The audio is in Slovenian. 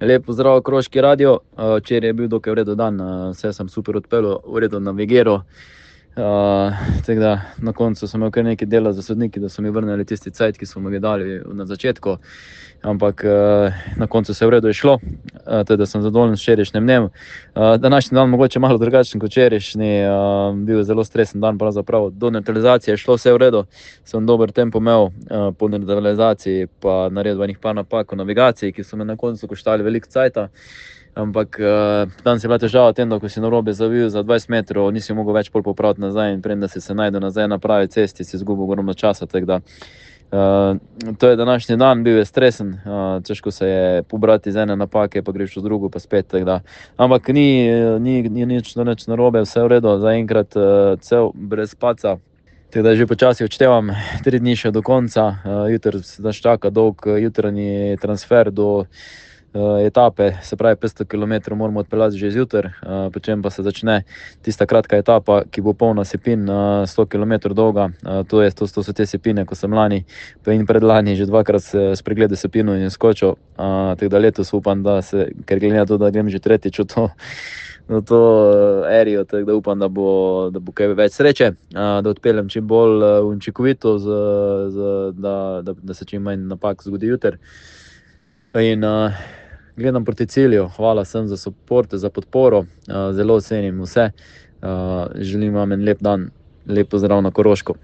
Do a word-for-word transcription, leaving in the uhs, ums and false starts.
Lep pozdrav, Koroški radio. Včeraj je bil dokaj v redu dan, vse sem super odpeljal, v redu navigiral. Tako da na koncu sem imel kar nekaj dela za sodniki, da so mi vrnili tisti cajt, ki smo mi ga dali na začetku. Ampak na koncu se je v redu šlo, tako da sem zadovoljen s včerajšnjim dnem. Današnji dan mogoče malo drugačen kot včerajšnji, bil je zelo stresen dan pravzaprav. Do nevtralizacije je šlo vse v redu, sem dober tempo imel, po nevtralizaciji pa naredil enih par napak v navigaciji, ki so me na koncu koštali veliko cajta. Ampak danes je bila težava v tem, da ko si narobe zavil za dvajset metrov, nisi mogel več pol popraviti nazaj in preden si se našel nazaj na pravi cesti, si izgubil ogromno časa, tako da to je današnji dan, bil je stresen, težko se je pobrati iz ene napake, pa greš v drugo, pa spet, tako da. Ampak ni, ni, ni nič, nič narobe, vse v redu, zaenkrat cel, brez padca. Tako da že počasi odštevam, tri dni še do konca, jutri nas čaka dolg jutranji transfer do etape, se pravi petsto kilometrov moramo odpeljati že zjutraj, potem pa se začne tista kratka etapa, ki bo polna sipin, sto kilometrov dolga. To je, to so te sipine, ko sem lani in predlani že dvakrat s pregledal sipino in skočil, tako da letos upam, da se, ker glede na to, da grem že tretjič v to, v to erijo, tako da upam, da bo, da bo kaj več sreče, da odpeljem čim bolj učinkovito, da, da, da se čim manj napak zgodi jutri. In gledam proti cilju, hvala vsem za support, za podporo, zelo cenim vse, želim vam en lep dan, lep pozdrav na Koroško.